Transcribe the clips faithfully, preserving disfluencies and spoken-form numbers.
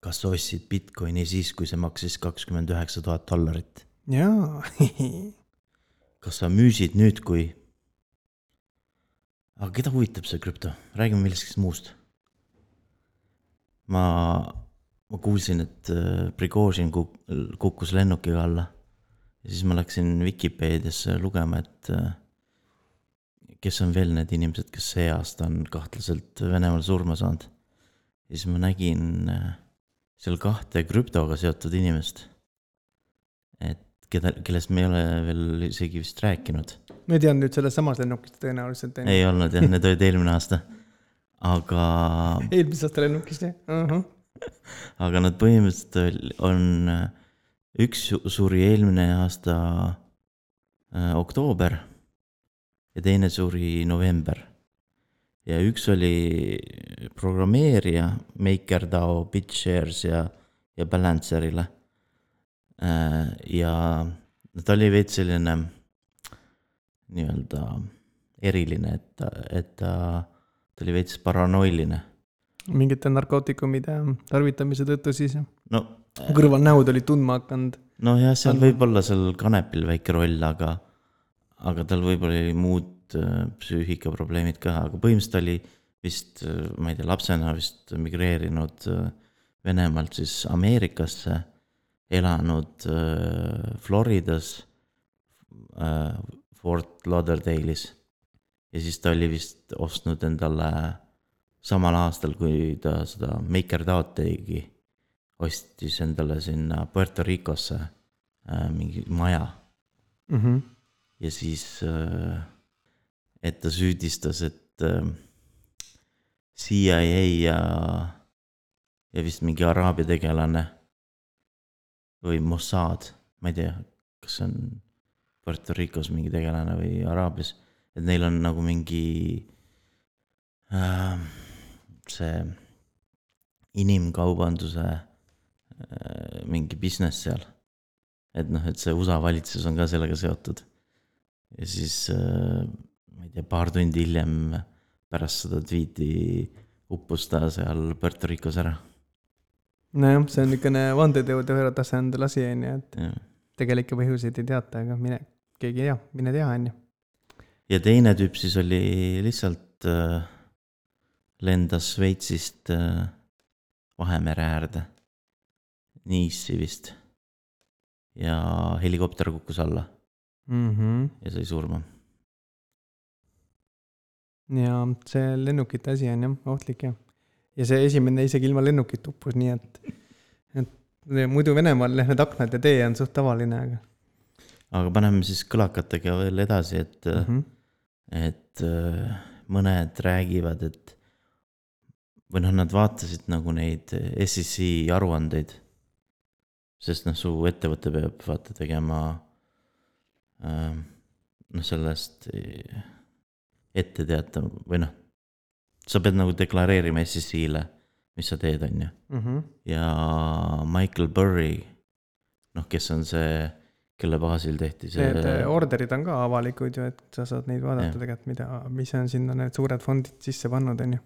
kas sa ostsid Bitcoini siis, kui see maksis kakskümmend üheksa tuhat dollarit? Jaa. Kas sa müüsid nüüd, kui... Aga keda huvitab see krüpto? Räägime millestki muust. Ma, ma kuulsin, et Prigozhin kukkus lennukiga alla. Ja siis ma läksin Wikipediasse lugema, et kes on veel need inimesed, kes see aasta on kahtlaselt Venemaal surma saanud. Ja siis ma nägin seal kahte krüptoga seotud inimest, et keda, kellest me ei ole veel isegi vist rääkinud. Ma ei tean nüüd selles samas lennukist tõenäoliselt. Ei, ei olnud, jah, need olid eelmine aasta. Aga... Eelmise aasta lennukist, jah. Uh-huh. Aga nad põhimõtteliselt on... Üks suri eelmine aasta äh, oktoober ja teine suri november. Ja üks oli programmeerija MakerDAO, BitShares ja, ja Balancerile. Ja ta oli veits selline nii-öelda eriline, et ta, et ta, ta oli veits paranoiline. Mingite narkootikumide tarvitamise tõttu siis? No, kõrval näud oli tundma hakanud. No jah, seal võib olla seal kanepil väike roll, aga, aga tal võib-olla oli muud psüühikaprobleemid ka, aga põhimõtteliselt oli vist, ma ei tea, lapsena vist migreerinud Venemaalt siis Ameerikasse, elanud Floridas, Fort Lauderdale'is ja siis ta oli vist ostnud endale samal aastal, kui ta seda MakerDAO tegi, ostis endale sinna Puerto Ricosse mingi maja. Mm-hmm. Ja siis... et ta süüdistas, et C I A ja, ja vist mingi araabia tegelane või Mossad, ma ei tea, kas on Puerto Ricos mingi tegelane või Araabias, et neil on nagu mingi äh, see inimkaubanduse äh, mingi business seal. Et noh, et see U S A valitsus on ka sellega seotud. Ja siis... Äh, ma ei tea, paar tundi hiljem pärast seda tweeti uppus ta seal Puerto Ricos ära. Nojah, see on niisugune vandeteode ühe tasandil asi, et ja. Tegelikke põhjuseid ei teata, aga mine, keegi ei tea, mine tea, on ju. Ja teine tüüp siis oli lihtsalt äh, lendas Šveitsist äh, Vahemere äärde. Niissi vist. Ja helikopter kukkus alla. Mm-hmm. Ja sai surma. Ja see lennukite asi on jah, ohtlik jah. Ja see esimene isegi ilma lennukit uppus, nii et, et muidu Venemaal need aknad ja tee on suht tavaline. Aga, aga paneme siis kõlakatega veel edasi, et, mm-hmm. et mõned räägivad, et või noh, nad vaatasid nagu neid S E C aruandeid, sest noh, su ettevõte peab vaata tegema äh, noh, sellest... ette teata või noh, sa pead nagu deklareerima S E C-le, mis sa teed, on ju. Mm-hmm. Ja Michael Burry, noh, kes on see, kelle baasil tehti see... Need orderid on ka avalikud ju, et sa saad neid vaadata tegelikult, mida, mis on sinna need suured fondid sisse pannud, on ju.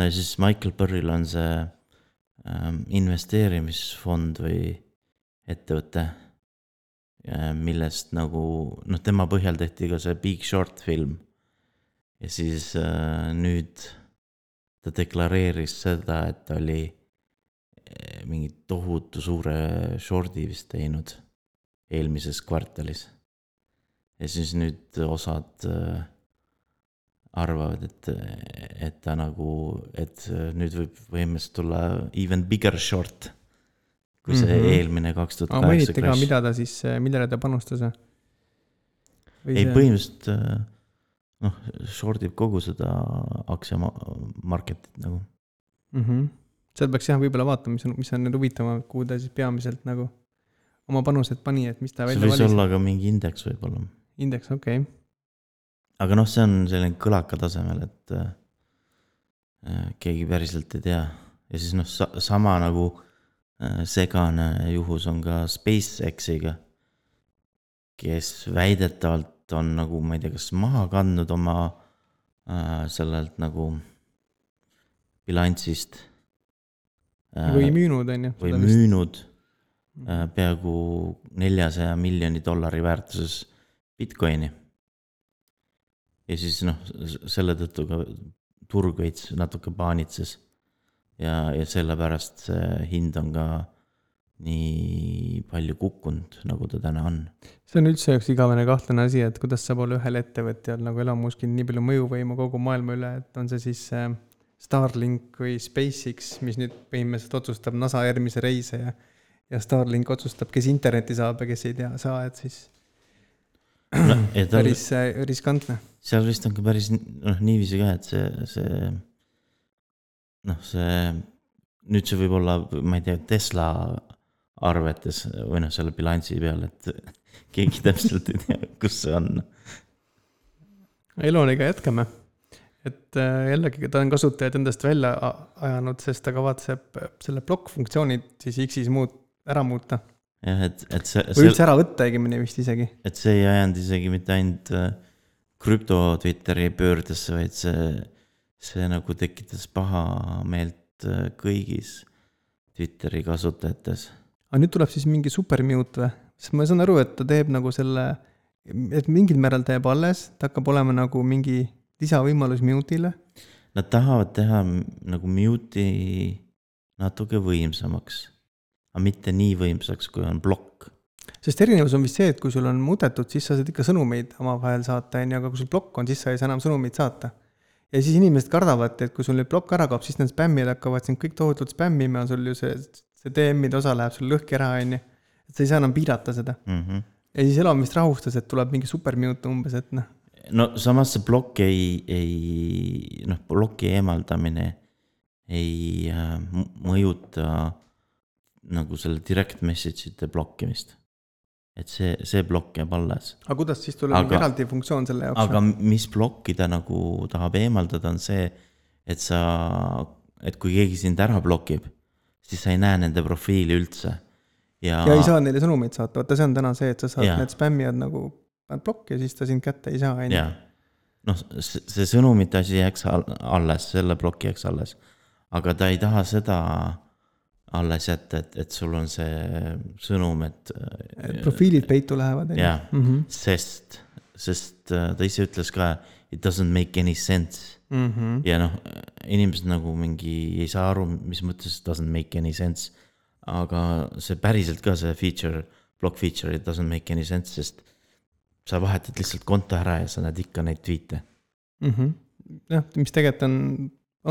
No ja siis Michael Burryl on see ähm, investeerimisfond või ettevõte, millest nagu, noh, tema põhjal tehti ka see Big Short film. Ja siis äh, nüüd ta deklareeris seda, et ta oli mingi tohutu suure shorti vist teinud eelmises kvartalis. Ja siis nüüd osad äh, arvavad, et, et ta nagu, et nüüd võib võimest tulla even bigger short, kui see mm-hmm. eelmine kaks tuhat kaheksa crash. Aga mida ta siis, millele ta panustas? Või ei, see... põhimõtteliselt... Äh, noh, shortib kogu seda aktsia marketit nagu. Mm-hmm. Seal peaks jah võib-olla vaatama, mis on, mis on need huvitama, kuhu ta siis peamiselt nagu oma panused pani, et mis ta välja valis. See võis olla ka mingi indeks võib-olla. Indeks, okei. Okay. Aga noh, see on selline kõlaka tasemel, et äh, keegi päriselt ei tea. Ja siis noh, sa, sama nagu äh, segane juhus on ka SpaceXiga, kes väidetavalt on nagu, ma ei tea, kas maha kandnud oma äh, sellelt nagu bilansist või müünud, on ju. või müünud äh, peaaegu neljasaja miljoni dollari väärtuses Bitcoini. Ja siis noh, selle tõttu ka turg veits natuke paanitses ja, ja sellepärast see hind on ka nii palju kukkunud, nagu ta täna on. See on üldse üks igavene kahtlane asi, et kuidas saab olla ühel ettevõtjal nagu Elon Muskil nii palju mõjuvõimu kogu maailma üle, et on see siis Starlink või SpaceX, mis nüüd põhimõtteliselt otsustab NASA järgmise reise ja, ja Starlink otsustab, kes interneti saab ja kes ei tea saa, et siis no, et päris on, riskantne. Seal vist on ka päris noh, niiviisi ka, et see, see noh, see nüüd see võib olla, ma ei tea, Tesla arvetes või noh, selle bilansi peal, et keegi täpselt ei tea, kus see on. Eloniga jätkame. Et jällegi ta on kasutajad endast välja ajanud, sest ta kavatseb selle blokk-funktsioonid siis X-is muut, ära muuta. Jah, et, et see, või üldse ära võtta õigemini vist isegi. Et see ei ajanud isegi mitte ainult krüpto Twitteri pöördesse, vaid see, see nagu tekitas paha meelt kõigis Twitteri kasutajates. Aga nüüd tuleb siis mingi supermute või? Sest ma saan aru, et ta teeb nagu selle, et mingil määral teeb alles, ta hakkab olema nagu mingi lisavõimalus mute'ile. Nad tahavad teha nagu mute'i natuke võimsamaks, aga mitte nii võimsaks, kui on blokk. Sest erinevus on vist see, et kui sul on muudetud, siis sa saad ikka sõnumeid omavahel saata, aga kui sul blokk on, siis sa ei saa enam sõnumeid saata. Ja siis inimesed kardavad, et kui sul nüüd blokk ära kaob, siis need spämmid hakkavad sind kõik tohutult spämmima, sul ju see, see D M-ide osa läheb sul lõhki ära, on ju. Et sa ei saa enam piirata seda. Mm-hmm. Ja siis Elon vist rahustas, et tuleb mingi supermute umbes, et noh. No samas see blokk ei, ei, noh, bloki eemaldamine ei äh, mõjuta nagu selle direct message'ite blokkimist. Et see, see blokk jääb alles. Aga kuidas siis tuleb aga, eraldi funktsioon selle jaoks? Aga mis blokki ta nagu tahab eemaldada on see, et sa, et kui keegi sind ära blokib, siis sa ei näe nende profiili üldse. Ja, ja ei saa neile sõnumeid saata, vaata see on täna see, et sa saad ja. Need spämmijad nagu blokk ja siis ta sind kätte ei saa. Jaa, noh see, see sõnumite asi jääks alles, selle blokki jääks alles, aga ta ei taha seda alles jätta, et, et sul on see sõnum, et profiilid peitu lähevad. Jaa, mm-hmm. sest, sest ta ise ütles ka, it doesn't make any sense. Mm-hmm. Ja noh, inimesed nagu mingi ei saa aru, mis mõttes doesn't make any sense, aga see päriselt ka see feature, block feature, it doesn't make any sense, sest sa vahetad lihtsalt konto ära ja sa näed ikka neid tweete. Mm-hmm. Ja, mis tegelikult on,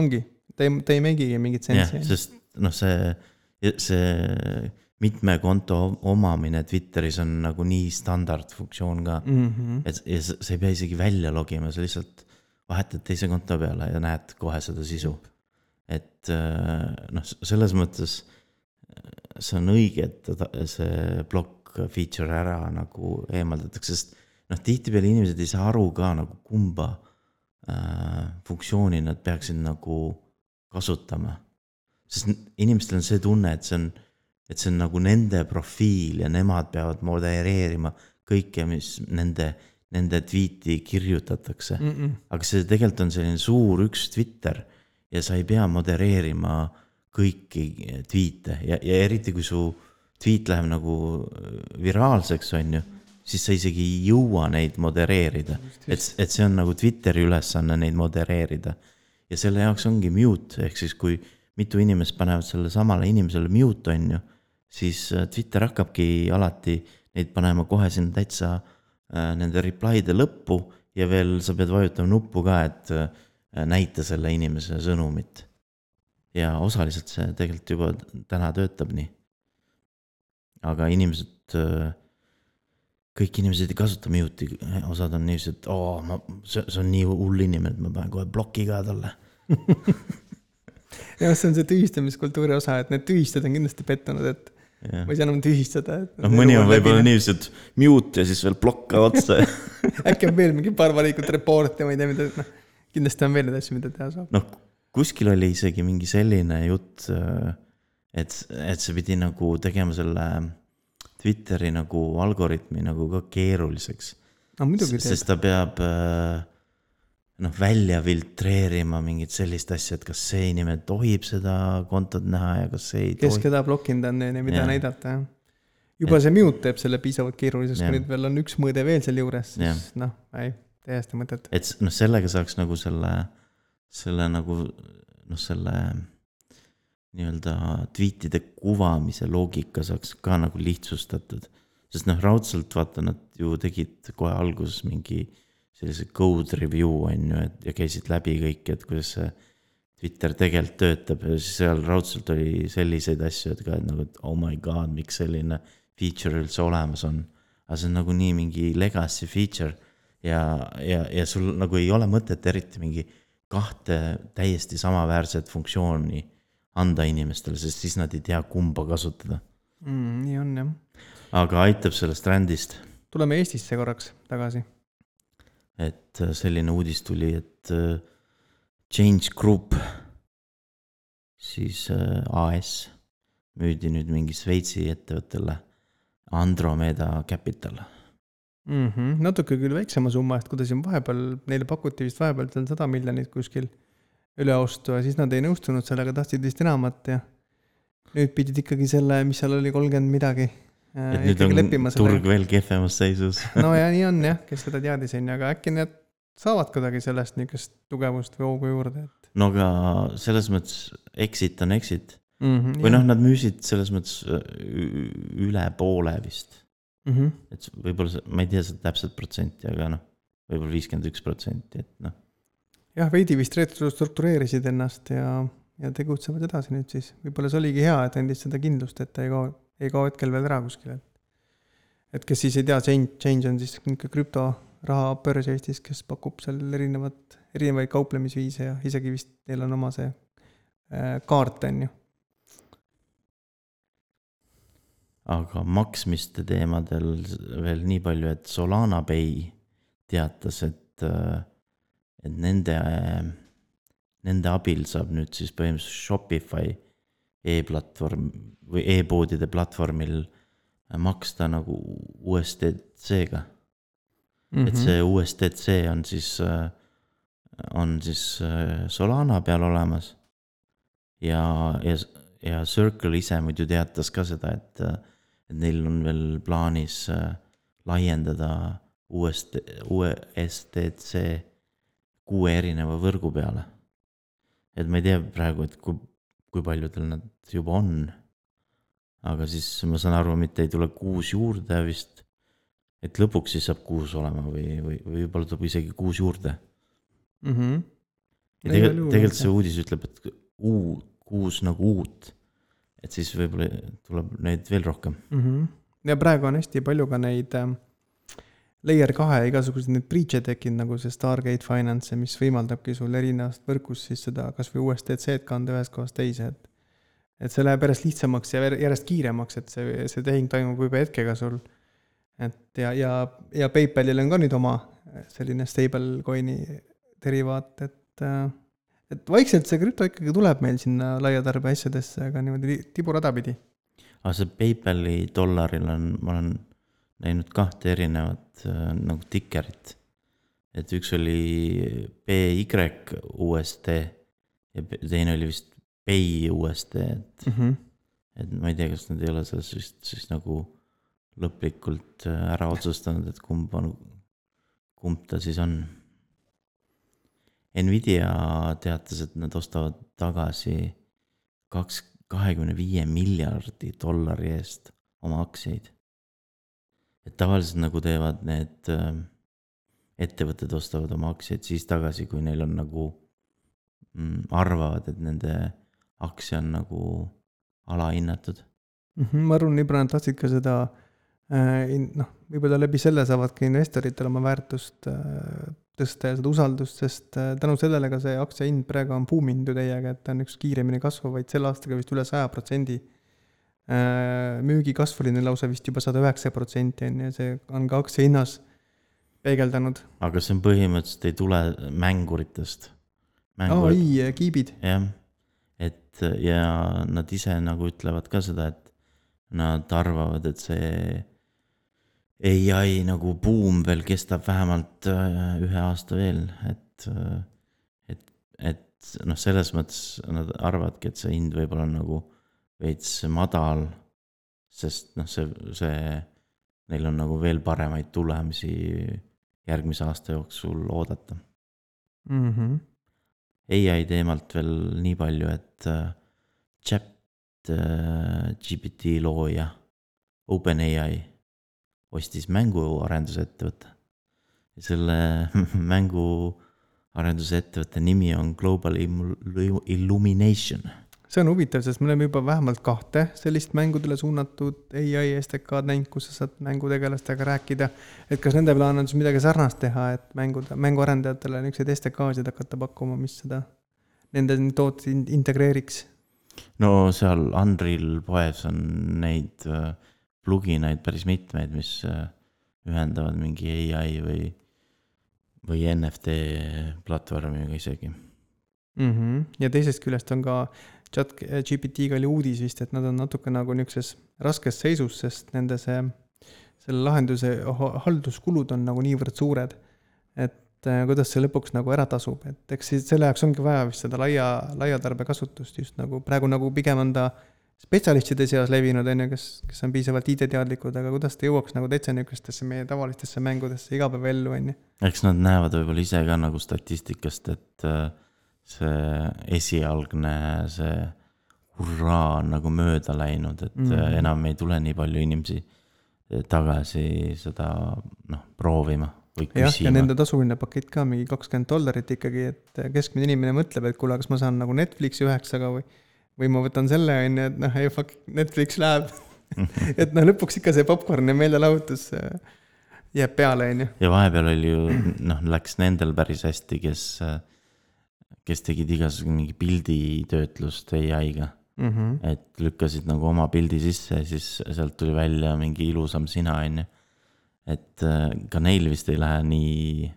ongi, ta ei, ta ei megigi mingit sensi. Ja, sest noh, see, see mitme konto omamine Twitteris on nagu nii standardfunktsioon ka, mm-hmm. et ja sa ei pea isegi välja logima, sa lihtsalt vahetad teise konto peale ja näed kohe seda sisu. Et noh, selles mõttes see on õige, et see block feature ära nagu eemaldatakse, sest noh, tihtipeale inimesed ei saa aru ka nagu kumba äh, funktsiooni nad peaksid nagu kasutama. Sest inimestel on see tunne, et see on, et see on nagu nende profiil ja nemad peavad modereerima kõike, mis nende, nende tweeti kirjutatakse. Mm-mm. Aga see tegelikult on selline suur üks Twitter ja sa ei pea modereerima kõiki tweete ja, ja eriti kui su tweet läheb nagu viraalseks on ju, siis sa isegi ei jõua neid modereerida. Et, et see on nagu Twitteri ülesanne neid modereerida. Ja selle jaoks ongi mute, ehk siis kui mitu inimest panevad selle samale inimesele mute on ju, siis Twitter hakkabki alati neid panema kohe sinna täitsa äh, nende reply'de lõppu ja veel sa pead vajutama nuppu ka, et äh, näita selle inimese sõnumit. Ja osaliselt see tegelikult juba täna töötab nii. Aga inimesed, kõik inimesed ei kasuta mute'i, osad on nii, et oh, ma, see, see on nii hull inimene, et ma panen kohe bloki ka talle. Ja see on see tühistamiskultuuri osa, et need tühistada on kindlasti pettunud, et ja. Ma ei saa enam tühistada. No, mõni on võib-olla nii, et mute ja siis veel blokka otsa. Äkki on veel mingi paar valikut report ja ma ei tea, mida, no, kindlasti on veel need asju, mida teha saab. No, kuskil oli isegi mingi selline jutt, et, et see pidi nagu tegema selle Twitteri nagu algoritmi nagu ka keeruliseks. No, muidugi sest ta peab, noh, välja filtreerima mingit sellist asja, et kas see inimene tohib seda kontot näha ja kas see ei kes tohi. keda blokinud on ja mida Jah. näidata, jah. Juba see mute teeb selle piisavalt keeruliseks, Jah. kui nüüd veel on üks mõõde veel seal juures, Jah. siis noh, ei, täiesti mõtet. et s- noh, sellega saaks nagu selle, selle nagu noh, selle nii-öelda tweetide kuvamise loogika saaks ka nagu lihtsustatud. Sest noh, raudselt vaata, nad ju tegid kohe alguses mingi sellise code review on ju, et ja käisid läbi kõik, et kuidas see Twitter tegelikult töötab ja siis seal raudselt oli selliseid asju, et ka et nagu, et oh my god, miks selline feature üldse olemas on. Aga see on nagu nii mingi legacy feature ja, ja, ja sul nagu ei ole mõtet eriti mingi kahte täiesti samaväärset funktsiooni anda inimestele, sest siis nad ei tea kumba kasutada. Mm, nii on, jah. Aga aitab sellest rändist. Tuleme Eestisse korraks tagasi. Et selline uudis tuli, et Change Group, siis A S, müüdi nüüd mingi Sveitsi ettevõttele Andromeda Capital. Mm-hmm. Natuke küll väiksema summa, et kuidas siin vahepeal, neile pakuti vist vahepeal sada miljonit kuskil üle ostu ja siis nad ei nõustunud sellega, tahtsid vist enamat ja nüüd pidid ikkagi selle, mis seal oli kolmkümmend midagi. Et nüüd on turg veel kehvemas seisus. No ja nii on jah, kes seda teadis on, aga äkki need saavad kuidagi sellest niisugust tugevust või hoogu juurde. Et... No aga selles mõttes exit on exit. Mm-hmm, või noh, nad müüsid selles mõttes üle poole vist. Mm-hmm. Et võib-olla, ma ei tea seda täpselt protsenti, aga noh, võib-olla viiskümmend üks protsenti, et noh. Jah, veidi vist struktureerisid ennast ja, ja tegutsevad edasi nüüd siis. Võib-olla see oligi hea, et endis seda kindlust, et ei kao, ei kao hetkel veel ära kuskil. Et kes siis ei tea, Change, change on siis krüptoraha börs Eestis, kes pakub seal erinevat, erinevaid kauplemisviise ja isegi vist neil on oma see äh, kaart on ju. Aga maksmiste teemadel veel nii palju, et Solana Pay teatas, et, et nende, nende abil saab nüüd siis põhimõtteliselt Shopify e-platvorm või e-poodide platvormil maksta nagu U S D C-ga. Mm-hmm. Et see U S D C on siis, on siis Solana peal olemas ja, ja, ja Circle ise muidu teatas ka seda, et et neil on veel plaanis laiendada U S D C kuue erineva võrgu peale. Et ma ei tea praegu, et kui, kui paljudel nad juba on, aga siis ma saan aru, mitte ei tule kuus juurde vist, et lõpuks siis saab kuus olema või, või, või võib-olla tuleb isegi kuus juurde. Mm-hmm. Ja tegelikult, tegelikult see uudis ütleb, et uu, kuus nagu uut. Et siis võib-olla tuleb neid veel rohkem. Mm-hmm. Ja praegu on hästi palju ka neid äh, layer kahe igasugused need breach'e tekkinud, nagu see Stargate Finance, mis võimaldabki sul erinevast võrkust siis seda kas või U S D C-d kanda ühest kohast teise. Et, et see läheb järjest lihtsamaks ja järjest kiiremaks, et see, see tehing toimub juba hetkega sul. Et ja, ja, ja PayPalil on ka nüüd oma selline stablecoin'i derivaat, et äh, et vaikselt see krüpto ikkagi tuleb meil sinna laiatarbe asjadesse, aga niimoodi tiburada pidi. Aga see PayPali dollaril on, ma olen näinud kahte erinevat äh, nagu tikerit. Et üks oli P Y U S D ja teine oli vist Pay U S D. Et, mm-hmm. et ma ei tea, kas nad ei ole selles vist siis nagu lõplikult ära otsustanud, et kumb, on, kumb ta siis on. Nvidia teatas, et nad ostavad tagasi kaks, kahekümne viie miljardi dollari eest oma aktsiaid. Et tavaliselt nagu teevad need ettevõtted ostavad oma aktsiaid siis tagasi, kui neil on nagu mm, arvavad, et nende aktsia on nagu alahinnatud. Mm-hmm, ma arvan, Libra nad tahtsid ka seda äh, noh, võib-olla läbi selle saavad ka investoritel oma väärtust äh, tõsta ja seda usaldust, sest tänu sellele ka see aktsia hind praegu on buuminud ju täiega, et ta on üks kiiremini kasvavaid selle aastaga vist üle saja protsendi. Müügi kasv oli neil lausa vist juba sada üheksa protsenti ja see on ka aktsia hinnas peegeldanud. Aga see on põhimõtteliselt ei tule mänguritest. Aa, ei, kiibid. Jah, et ja nad ise nagu ütlevad ka seda, et nad arvavad, et see A I nagu boom veel kestab vähemalt ühe aasta veel, et et, et, et noh, selles mõttes nad arvavadki, et see hind võib-olla on nagu veits madal, sest noh, see, see, neil on nagu veel paremaid tulemusi järgmise aasta jooksul oodata. Mm-hmm. A I teemalt veel nii palju, et chat G P T looja OpenAI ostis mänguarendusettevõtte. Ja selle mänguarendusettevõtte nimi on Global Illumination. See on huvitav, sest me oleme juba vähemalt kahte sellist mängudele suunatud A I S D K-d näinud, kus sa saad mängutegelastega rääkida. Et kas nende plaan on siis midagi sarnast teha, et mängud, mänguarendajatele niisuguseid S D K-sid hakata pakkuma, mis seda nende tooted integreeriks? No seal Unreal poes on neid pluginaid päris mitmeid, mis ühendavad mingi A I või, või N F T platvormiga isegi. Mm-hmm. Ja teisest küljest on ka chat G P T-ga oli uudis vist, et nad on natuke nagu niisuguses raskes seisus, sest nende see, selle lahenduse halduskulud on nagu niivõrd suured, et kuidas see lõpuks nagu ära tasub, et eks siis selle jaoks ongi vaja vist seda laia, laia tarbe kasutust just nagu praegu nagu pigem on ta spetsialistide seas levinud, on ju, kes, kes on piisavalt I T-teadlikud, aga kuidas ta jõuaks nagu täitsa niisugustesse meie tavalistesse mängudesse igapäevaellu, on ju. Eks nad näevad võib-olla ise ka nagu statistikast, et see esialgne see hurraa on nagu mööda läinud, et mm-hmm. enam ei tule nii palju inimesi tagasi seda noh, proovima või küsima. Jah, ja nende tasuline pakett ka mingi kakskümmend dollarit ikkagi, et keskmine inimene mõtleb, et kuule, kas ma saan nagu Netflixi üheksaga või või ma võtan selle, on ju, et noh, ei fuck, Netflix läheb. et noh, lõpuks ikka see popcorn ja meelelahutus jääb peale, on ju. Ja vahepeal oli ju, noh, läks nendel päris hästi, kes, kes tegid igasugune mingi pilditöötlust A I-ga. Mm-hmm. Et lükkasid nagu oma pildi sisse ja siis sealt tuli välja mingi ilusam sina, on ju. Et ka neil vist ei lähe nii,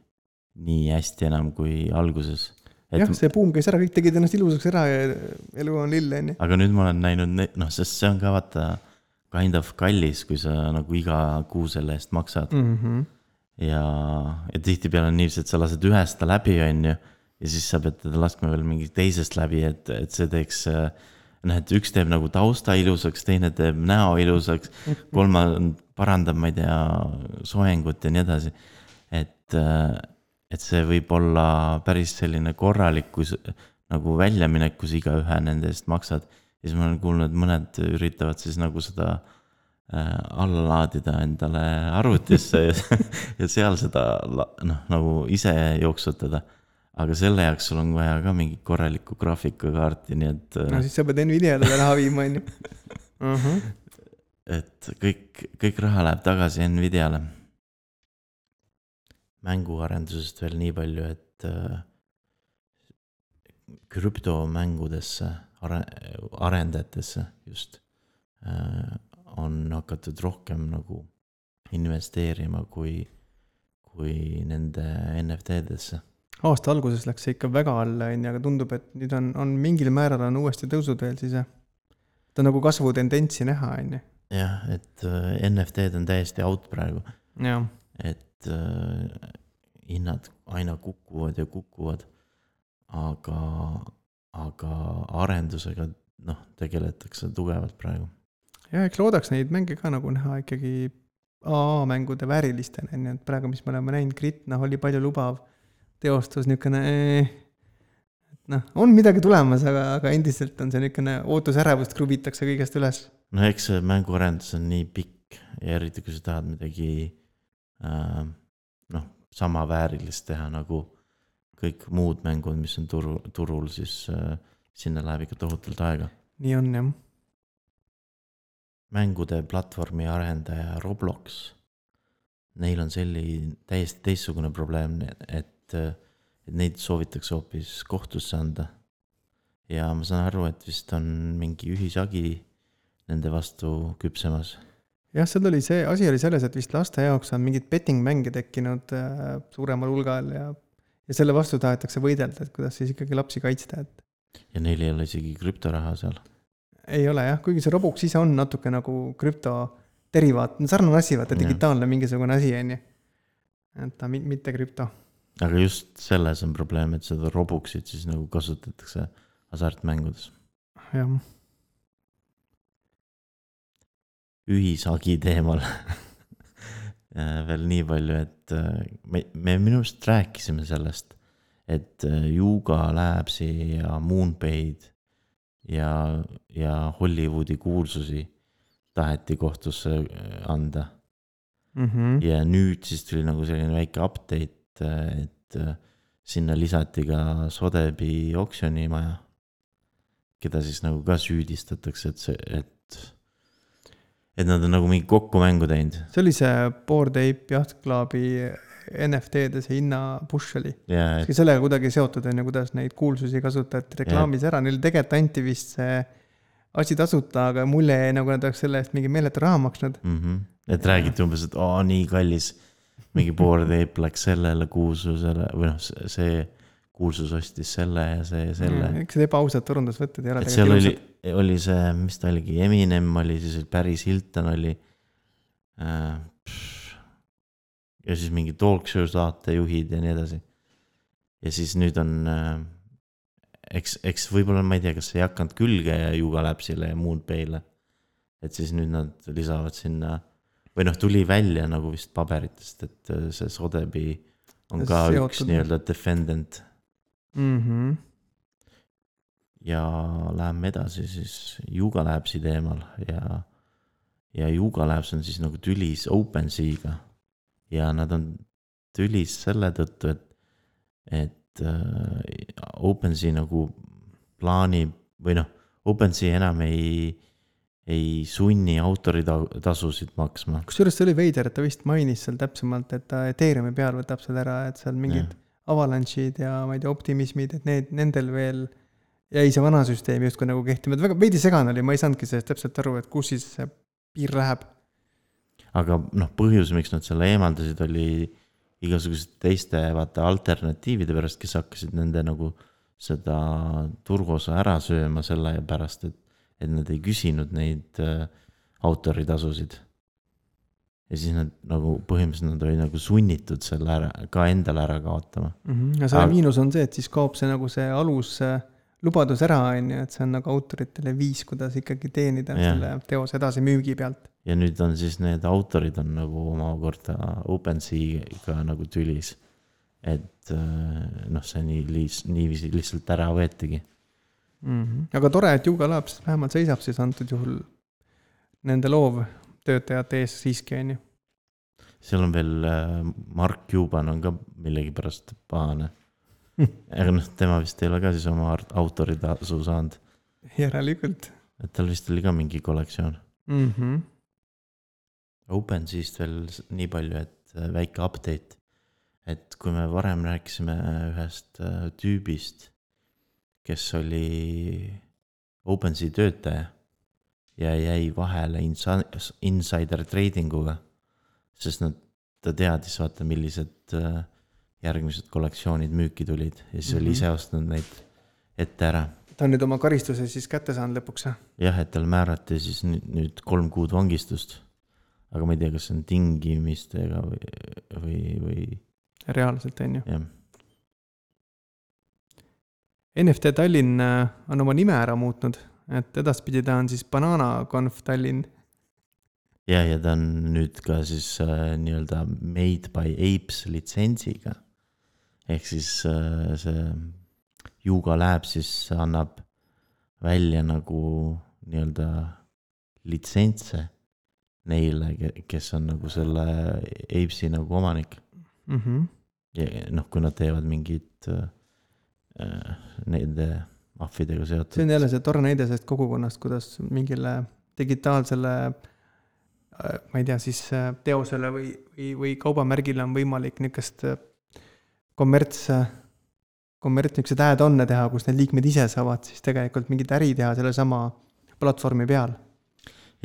nii hästi enam kui alguses. Et, jah, see buum käis ära, kõik tegid ennast ilusaks ära ja elu on lill, on ju. Aga nüüd ma olen näinud, noh, sest see on ka vaata kind of kallis, kui sa nagu iga kuu selle eest maksad. Mm-hmm. Ja, ja tihti peale on niivõrd, et sa lased ühest läbi, on ju, ja siis sa pead teda laskma veel mingi teisest läbi, et, et see teeks, noh, et üks teeb nagu tausta ilusaks, teine teeb näo ilusaks, kolma parandab, ma ei tea, soengut ja nii edasi. Et et see võib olla päris selline korralik, kui nagu väljaminek, kus iga ühe nende eest maksad. Ja siis ma olen kuulnud, mõned üritavad siis nagu seda äh, alla laadida endale arvutisse ja, ja seal seda noh, nagu ise jooksutada. Aga selle jaoks sul on vaja ka mingi korralikku graafikakaarti, nii et... No siis sa pead Nvidiale raha viima, on ju. Uh-huh. Et kõik, kõik raha läheb tagasi Nvidiale. Mänguarendusest veel nii palju, et krüptomängudesse, arendajatesse just on hakatud rohkem nagu investeerima kui, kui nende N F T-desse. Aasta alguses läks see ikka väga alla, aga tundub, et nüüd on, on mingil määral on uuesti tõusud veel siis. Ta on nagu kasvu tendentsi näha, on ju. Jah, et N F T-d on täiesti out praegu. Jah. Et hinnad aina kukuvad ja kukuvad, aga, aga arendusega noh, tegeletakse tugevalt praegu. Ja eks loodaks neid mänge ka nagu näha ikkagi A A-mängude väärilistena, et praegu, mis me oleme näinud, Grit, noh, oli palju lubav teostus, niisugune, noh, on midagi tulemas, aga, aga endiselt on see niisugune ootusärevust kruvitakse kõigest üles. No eks see mänguarendus on nii pikk ja eriti, kui sa tahad midagi Äh, noh, sama väärilist teha nagu kõik muud mängud, mis on turu, turul, siis äh, sinna läheb ikka tohutult aega. Nii on, jah. Mängude platvormi arendaja Roblox, neil on selline täiesti teistsugune probleem, et, et neid soovitakse hoopis kohtusse anda. Ja ma saan aru, et vist on mingi ühisagi nende vastu küpsemas. Jah, seal oli see, asi oli selles, et vist laste jaoks on mingid betting-mänge tekkinud äh, suuremal hulgal ja, ja selle vastu tahetakse võidelda, et kuidas siis ikkagi lapsi kaitsta. Et... Ja neil ei ole isegi krüptoraha seal? Ei ole jah, kuigi see Roblox ise on natuke nagu krüpto derivaat, sarnane asi, vaata digitaalne mingisugune asi, on ju. Et ta mitte krüpto. aga just selles on probleem, et seda Robuxit siis nagu kasutatakse hasartmängudes. jah. Ühisagi teemal veel nii palju, et me, me minust rääkisime sellest, et Yuga Labsi ja Moonpay'd ja, ja Hollywoodi kuulsusi taheti kohtusse anda. Mm-hmm. Ja nüüd siis tuli nagu selline väike update, et sinna lisati ka Sotheby's oksjonimaja, keda siis nagu ka süüdistatakse, et see, et et nad on nagu mingi kokkumängu teinud. See oli see Bored Ape Yacht Clubi N F T-de see hinna push oli. Yeah, et... sellega kuidagi seotud on ja kuidas neid kuulsusi kasutati reklaamis yeah. ära. Neil tegelikult anti vist see asi tasuta, aga mulle jäi nagu nad oleks selle eest mingi meeletu raha maksnud. Mm-hmm. Et räägiti umbes, et oo, nii kallis. Mingi Bored Ape läks sellele kuulsusele või noh, see kuulsus ostis selle ja see ja selle. Eks see ebaausad turundusvõtted ei ole. Et seal oli, oli see, mis ta oligi, Eminem oli, siis Paris Hilton oli äh, ja siis mingi talk show saatejuhid ja nii edasi. Ja siis nüüd on äh, eks, eks võib-olla ma ei tea, kas see ei hakanud külge ja Yuga Labsile ja Moonpay'le. Et siis nüüd nad lisavad sinna või noh, tuli välja nagu vist paberitest, et see Sotheby's on ka seotud. Üks nii-öelda defendant. Mm-hmm. Ja läheme edasi siis Yuga Labsi teemal ja, ja Yuga Labs on siis nagu tülis OpenSea'ga ja nad on tülis selle tõttu, et, et uh, OpenSea nagu plaanib või noh, OpenSea enam ei, ei sunni autoritasusid maksma. Kusjuures see oli veider, et ta vist mainis seal täpsemalt, et ta Ethereumi peal võtab seal ära, et seal mingid ja. Avalanche'id ja ma ei tea, optimismid, et need, nendel veel jäi see vana süsteem justkui nagu kehtima. Väga veidi segane oli, ma ei saanudki sellest täpselt aru, et kus siis see piir läheb. Aga noh, põhjus, miks nad selle eemaldasid, oli igasugused teiste vaata alternatiivide pärast, kes hakkasid nende nagu seda turgosa ära sööma selle pärast, et, et nad ei küsinud neid äh, autoritasusid. Ja siis nad nagu põhimõtteliselt nad olid nagu sunnitud selle ära, ka endale ära kaotama. Mm-hmm. Ja selle Aga... miinus on see, et siis kaob see nagu see alus lubadus ära, on ju, et see on nagu autoritele viis, kuidas ikkagi teenida ja. Selle teose edasi müügi pealt. Ja nüüd on siis need autorid on nagu omakorda OpenSea'ga nagu tülis. Et noh, see nii, nii lihtsalt ära võetigi. Mm-hmm. Aga tore, et Yuga Labs vähemalt seisab siis antud juhul nende loov töötajate ees siiski on ju. Seal on veel Mark Cuban on ka millegi pärast pahane. Aga noh, tema vist ei ole ka siis oma autoritasu saanud. Järelikult. Et tal vist oli ka mingi kollektsioon. Mm-hmm. OpenSea'st veel nii palju, et väike update. Et kui me varem rääkisime ühest tüübist, kes oli OpenSea töötaja ja jäi vahele insider tradinguga, sest nad, ta teadis vaata, millised järgmised kollektsioonid müüki tulid ja siis mm-hmm. oli ise ostnud neid ette ära. Ta on nüüd oma karistuse siis kätte saanud lõpuks? Jah, et tal määrati siis nüüd kolm kuud vangistust, aga ma ei tea, kas see on tingimistega või, või, või... reaalselt on ju. Jah. N F T Tallinn on oma nime ära muutnud. Et edaspidi ta on siis Banana Conf Tallinn. Ja, ja ta on nüüd ka siis äh, nii-öelda Made by Apes litsentsiga. Ehk siis äh, see Yuga Labs siis annab välja nagu nii-öelda litsentse neile, kes on nagu selle Apesi nagu omanik. Mm-hmm. Ja noh, kui nad teevad mingid äh, nende... ahvidega seotud. See on jälle see tore näide sellest kogukonnast, kuidas mingile digitaalsele, ma ei tea, siis teosele või, või, või kaubamärgile on võimalik niisugust kommerts, kommerts niisugused add-on'e teha, kus need liikmed ise saavad siis tegelikult mingit äri teha selle sama platvormi peal.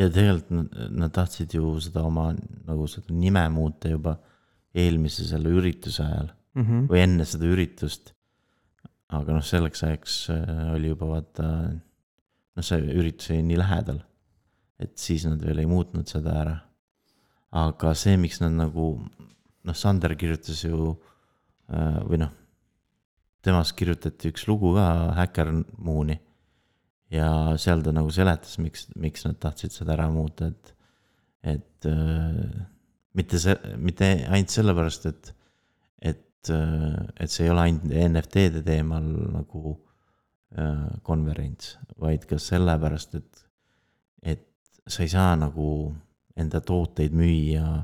Ja tegelikult nad, nad tahtsid ju seda oma nagu seda nime muuta juba eelmise selle ürituse ajal mm-hmm. või enne seda üritust. Aga noh, selleks ajaks oli juba vaata, noh see üritus oli nii lähedal, et siis nad veel ei muutnud seda ära. Aga see, miks nad nagu, noh Sander kirjutas ju või noh, temast kirjutati üks lugu ka, Hacker Mooni, ja seal ta nagu seletas, miks, miks nad tahtsid seda ära muuta, et, et mitte, see, mitte ainult sellepärast, et, et, et see ei ole ainult N F T-de teemal nagu konverents, vaid ka sellepärast, et, et sa ei saa nagu enda tooteid müüa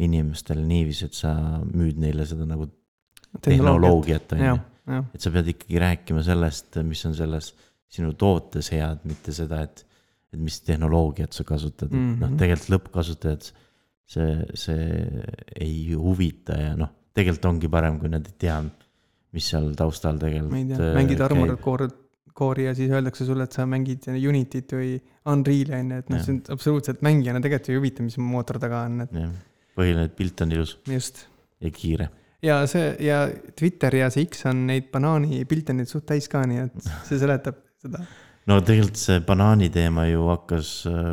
inimestele niiviisi, et sa müüd neile seda nagu tehnoloogiat, on ju. Et sa pead ikkagi rääkima sellest, mis on selles sinu tootes head, mitte seda, et, et mis tehnoloogiat sa kasutad. Mm-hmm. Noh, tegelikult lõppkasutajad see, see ei huvita ja noh, tegelikult ongi parem, kui nad ei tea, mis seal taustal tegelikult tea, mängid Armored Core'i ja siis öeldakse sulle, et sa mängid Unityt või Unreal'i, et noh, see on absoluutselt mängijana tegelikult ei huvita, mis mootor taga on. Et... Ja, põhiline, et pilt on ilus. Just. Ja kiire. Ja see, ja Twitter ja see X on neid banaani pilte nüüd suht täis ka, nii et see seletab seda. No tegelikult see banaani teema ju hakkas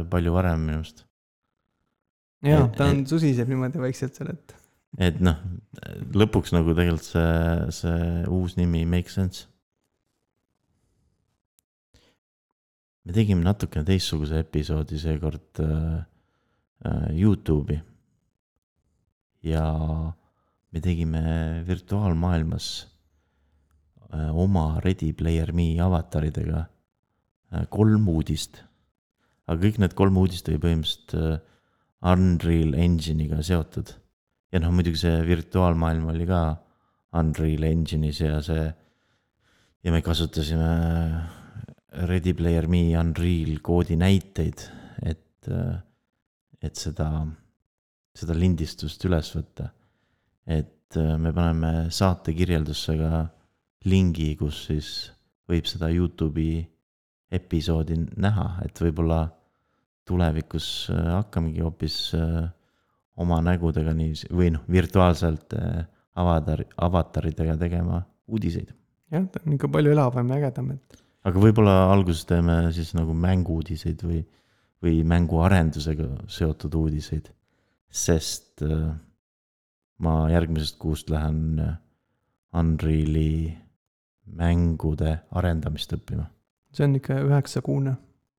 palju varem minust. Jaa, ta on et, susiseb niimoodi vaikselt seal, et... Et noh, lõpuks nagu tegelikult see, see uus nimi make sense. Me tegime natukene teistsuguse episoodi seekord äh, YouTube'i ja me tegime virtuaalmaailmas äh, oma Ready Player Me avataridega äh, kolm uudist. Aga kõik need kolm uudist oli põhimõtteliselt äh, Unreal Engine'iga seotud. Ja noh, muidugi see virtuaalmaailm oli ka Unreal Engine'is ja see ja me kasutasime Ready Player Me Unreal koodi näiteid, et, et seda, seda lindistust üles võtta. Et me paneme saate kirjeldusse ka lingi, kus siis võib seda YouTube'i episoodi näha, et võib-olla tulevikus hakkamegi hoopis oma nägudega nii, või noh, virtuaalselt avatar, avataridega tegema uudiseid. Jah, ta on ikka palju elavam ja ägedam, et aga võib-olla alguses teeme siis nagu mängu-uudiseid või, või mänguarendusega seotud uudiseid, sest äh, ma järgmisest kuust lähen Unreali mängude arendamist õppima. See on ikka üheksakuune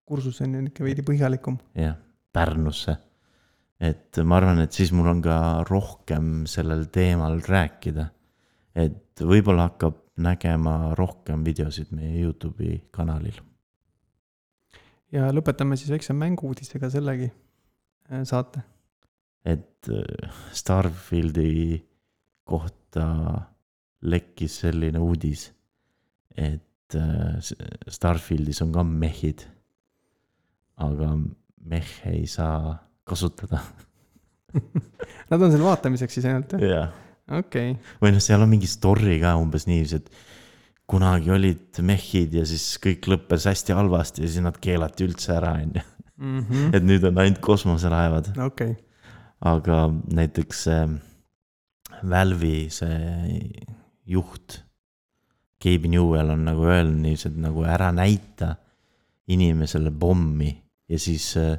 kursus, on ikka veidi põhjalikum. Jah, Pärnusse. Et ma arvan, et siis mul on ka rohkem sellel teemal rääkida. Et võib-olla hakkab nägema rohkem videosid meie YouTube'i kanalil. Ja lõpetame siis väikse mängu-uudisega sellegi saate. Et Starfieldi kohta lekkis selline uudis, et Starfieldis on ka mehid, aga mehe ei saa kasutada. Nad on seal vaatamiseks siis ainult? Jah. Okay. Või noh, seal on mingi story ka umbes nii, et kunagi olid mehid ja siis kõik lõppes hästi halvasti ja siis nad keelati üldse ära. Mm-hmm. Et nüüd on ainult kosmoselaevad. Okay. Aga näiteks äh, Valve'i see juht Gabe Newell on nagu öelnud nii, et nagu ära näita inimesele pommi ja siis äh,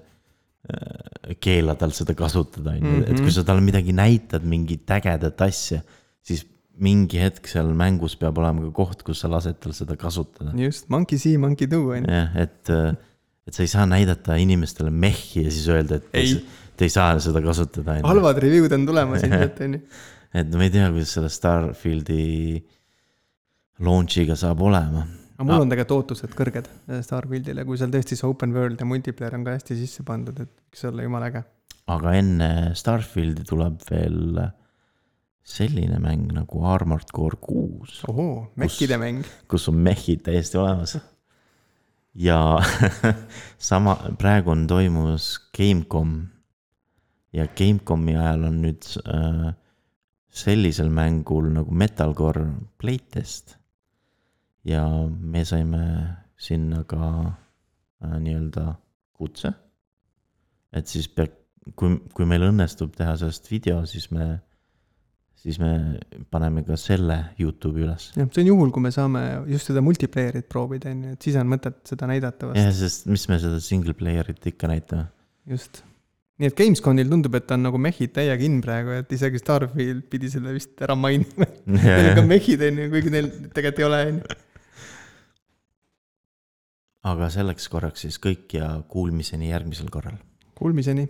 keela tal seda kasutada. Mm-hmm. Et kui sa tal midagi näitad, mingit ägedat asja, siis mingi hetk seal mängus peab olema ka koht, kus sa lased tal seda kasutada. Just, monkey see, monkey do. Ja, et, et sa ei saa näidata inimestele mehi ja siis öelda, et ei. Te ei saa seda kasutada. Halvad review'd on tulemas. Et ma ei tea, kuidas selle Starfieldi launchiga saab olema. Aga mul on tegelikult ootused kõrged Starfieldile, kui seal tõesti see open world ja multiplayer on ka hästi sisse pandud, et võiks olla jumal äge. Aga enne Starfieldi tuleb veel selline mäng nagu Armored Core kuus. Ohoo, mechide mäng. Kus on mechid täiesti olemas. Ja sama, praegu on toimus Gamecom ja Gamecomi ajal on nüüd äh, sellisel mängul nagu Metalcore playtest. Ja me saime sinna ka äh, nii-öelda kutse. Et siis peab, kui, kui meil õnnestub teha sellest video, siis me, siis me paneme ka selle YouTube'i üles. Ja, see on juhul, kui me saame just seda multiplayerit proovida, et siis on mõtet seda näidata vast. Ja, sest mis me seda single playerit ikka näitame. Just. nii et Gamesconil tundub, et on nagu mehid täiega in praegu, et isegi Starfield pidi selle vist ära mainima. Neil on ka mehid, kuigi neil tegelikult ei ole. Aga selleks korraks siis kõik ja kuulmiseni järgmisel korral. Kuulmiseni.